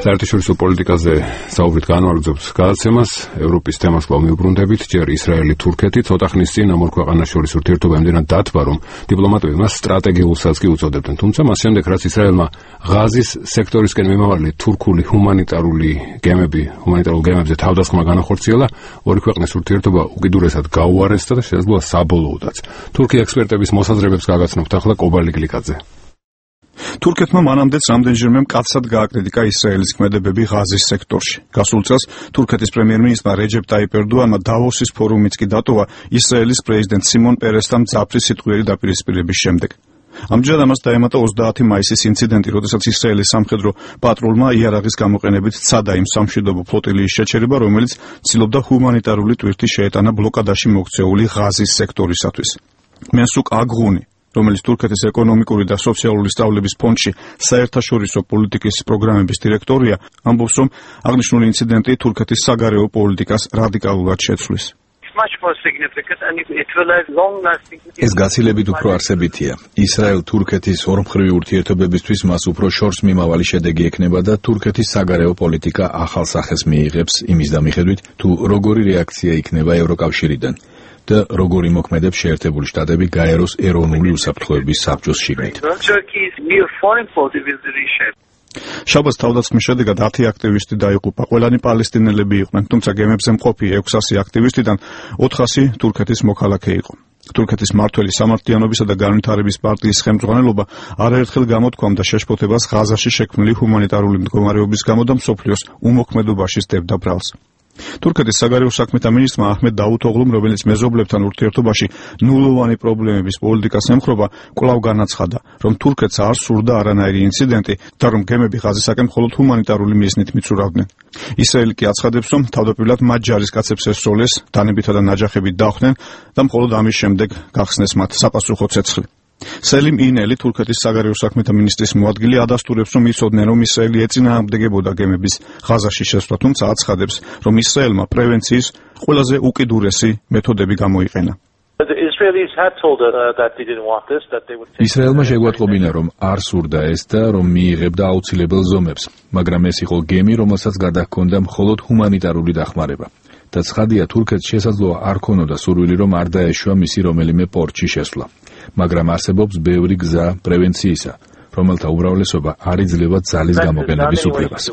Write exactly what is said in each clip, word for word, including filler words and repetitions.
საერთაშორისო პოლიტიკაზე საუბრით განვაგრძობთ გადაცემას. ევროპის თემას კვლავ მივუბრუნდებით. ჯერ ისრაელი, თურქეთი ცოტა ხნის წინ ამ ორ ქვეყანას შორის ურთიერთობა იმდენად დათბა, რომ დიპლომატები მას სტრატეგიულსაც კი უწოდებდნენ. თუმცა მას შემდეგ, რაც ისრაელმა ღაზის სექტორისკენ მიმავალი თურქული ჰუმანიტარული გემები, ჰუმანიტარულ გემებზე თავდასხმა განახორციელა, ორი ქვეყნის ურთიერთობა უკიდურესად გაუარესდა და შესაძლოა საბოლოოდაც. თურქი ექსპერტების მოსაზრებებს გაგაცნობთ ახლა კობალი გლიკაძე. თურქეთმა მანამდეც რამდენჯერმე მკაცრად გააკრიტიკა ისრაელის ქმედებები ღაზის სექტორში. გასულ წელს თურქეთის პრემიერ-მინისტრმა რეჯეპ ტაიპ ერდოანმა დავოსის ფორუმიც კი დატოვა ისრაელის პრეზიდენტ სიმონ პერესთან მძაფრი სიტყვიერი დაპირისპირების შემდეგ. ამჯერად ამას დაემატა ოცდაათი მაისის ინციდენტი, როდესაც ისრაელის სამხედრო პატრულმა იარაღის გამოყენებით სცადა იმ სამშვიდობო ფლოტილიის შეჩერება, რომელიც ცდილობდა ჰუმანიტარული ტვირთი შეეტანა ბლოკადაში მოქცეული ღაზის სექტორისათვის. მენსუკ აგღუნი, რომელიც თურქეთის ეკონომიკური და სოციალური სწავლების ფონდში საერთაშორისო პოლიტიკის პროგრამების დირექტორია, ამბობს, რომ აღნიშნული ინციდენტი თურქეთის საგარეო პოლიტიკას რადიკალურად შეცვლის. ეს გაცილებით უფრო არსებითია. ისრაელ-თურქეთის ორმხრივი ურთიერთობებისთვის მას უფრო შორს მიმავალი შედეგი ექნება და თურქეთის საგარეო პოლიტიკა ახალ სახეს მიიღებს იმის დამიხედვით, თუ როგორი რეაქცია იქნება ევროკავშირიდან და როგორი მოქმედებს შეერთებული შტატები გაეროს ეროვნული უსაფრთხოების საბჭოს შიგნით. შაბათს თავდასხმის შედეგად ათი აქტივისტი დაიღუპა. ყველანი პალესტინელები იყვნენ, თუმცა გემებზე მყოფი ექვსასი აქტივისტიდან ოთხასი თურქეთის მოქალაქე იყო. თურქეთის მმართველი სამართლიანობისა და განვითარების პარტიის ხელმძღვანელობა არაერთხელ გამოთქვამდა შეშფოთებას ღაზაში შექმნილი ჰუმანიტარული მდგომარეობის გამო და მსოფლიოს უმოქმედობაში სდებდა ბრალს. თურქეთის საგარეო საქმეთა მინისტრმა აჰმედ დავუთოღლუმ, რომელიც მეზობლებთან ურთიერთობაში ნულოვანი პრობლემების პოლიტიკას ემხრობა, კვლავ განაცხადა, რომ თურქეთს არ სურდა არანაირი ინციდენტი და რომ გემები ღაზისაკენ მხოლოდ ჰუმანიტარული მიზნით მიცურავდნენ. ისრაელი კი აცხადებს, რომ თავდაპირველად მათ ჯარისკაცებს ესწოლეს, დანებითა და ნაჯახებით დახვდნენ და მხოლოდ ამის შემდეგ გახსნეს მათ საპასუხო ცეცხლი. სელიმ ინელი, თურქეთის საგარეო საქმეთა მინისტრის მოადგილე, ადასტურებს, რომ იცოდნენ, რომ ისრაელი ეწინააღმდეგებოდა გემების ღაზაში შესვლა, თუმცა აცხადებს, რომ ისრაელმა პრევენციის ყველაზე უკიდურესი მეთოდები გამოიყენა. ისრაელმა შეგვატყობინა, რომ არ სურდა ეს და რომ მიიღებდა აუცილებელ ზომებს, მაგრამ ეს იყო გემი, რომელსაც გადაჰქონდა მხოლოდ ჰუმანიტარული დახმარება. და ცხადია, თურქეთს შესაძლოა არ ქონოდა სურვილი, რომ არ დაეშვა მისი რომელიმე პორტში შესვლა. მაგრამ არსებობს ბევრი გზა პრევენციისა, რომელთა უმრავლესობა არ იძლევა ძალის გამოყენების უფლებას.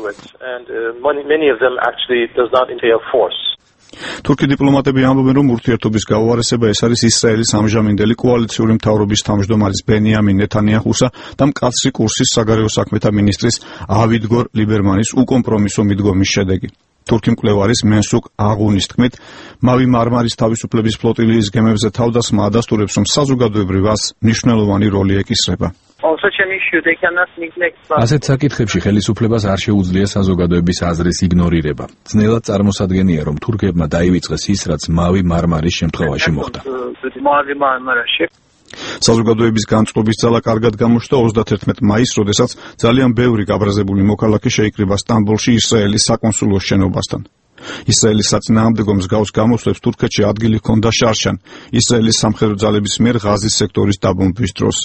თურქი დიპლომატები ამბობენ, რომ ურთიერთობის გაუარესება ეს არის ისრაელის ამჟამინდელი კოალიციური მთავრობის თავმჯდომარის ბენიამინ ნეთანიაჰუსა და მკაცრი კურსის საგარეო საქმეთა მინისტრის ავიგდორ ლიბერმანის უკომპრომისო მიდგომის შედეგი. თურქი მკვლევარის მენსუკ აგუნის თქმით, მავი მარმარის თავისუფლების ფლოტილიის გემებზე თავდასხმა ადასტურებს, რომ საზოგადოებრივ აზრს მნიშვნელოვანი როლი ეკისრება. ასეთ საკითხებში ხელისუფლებას არ შეუძლია საზოგადოების აზრის იგნორირება. ძნელად წარმოსადგენია, რომ თურქებმა დაივიწყეს ის, რაც მავი მარმარის შემთხვევაში მოხდა. საზოგადოების განწყობის ძალა კარგად გამოჩნდა ოცდათერთმეტ მაისს, როდესაც ძალიან ბევრი გაბრაზებული მოქალაქე შეიკრიბა სტამბოლში ისრაელის საკონსულოს შენობასთან. ისრაელის საწინააღმდეგო მსგავს გამოსვლებს თურქეთში ადგილი ჰქონდა შარშან, ისრაელის სამხედრო ძალების მიერ ღაზის სექტორის დაბომბვის დროს.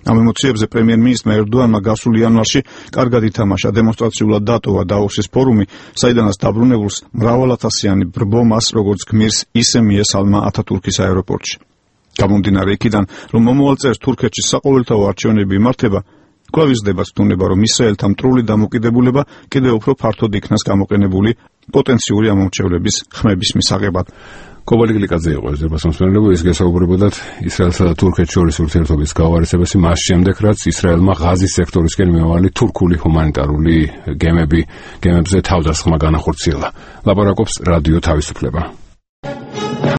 ამ ემოციებზე პრემიერ-მინისტრმა ერდოანმა გასულ იანვარში კარგად ითამაშა, დემონსტრაციულად დატოვა დავოსის ფორუმი, საიდანაც დაბრუნებულს მრავალათასიანი ბრბო მას როგორც გმირს ისე მიესალმა ათათურქის აეროპორტში. გამომდინარე იქიდან, რომ მომავალ წელს თურქეთში საყოველთაო არჩევნები იმართება, კვლავ იზრდება ცდუნება, რომ ისრაელთა მტრული დამოკიდებულება კიდევ უფრო ფართოდ იქნას გამოყენებული პოტენციური ამომრჩევლების ხმების მისაღებად. კობალი გლიკაძე იყო ეს ზებასამსმენელები, ის გესაუბრებოდათ ისრაელსა და თურქეთს შორის ურთიერთობის გაუარესებაში მას შემდეგ, რაც ისრაელმა ღაზის სექტორისკენ მიმავალი თურქული ჰუმანიტარული გემები, გემებზე თავდასხმა განახორციელა. ლაპარაკობს რადიო თავისუფლება.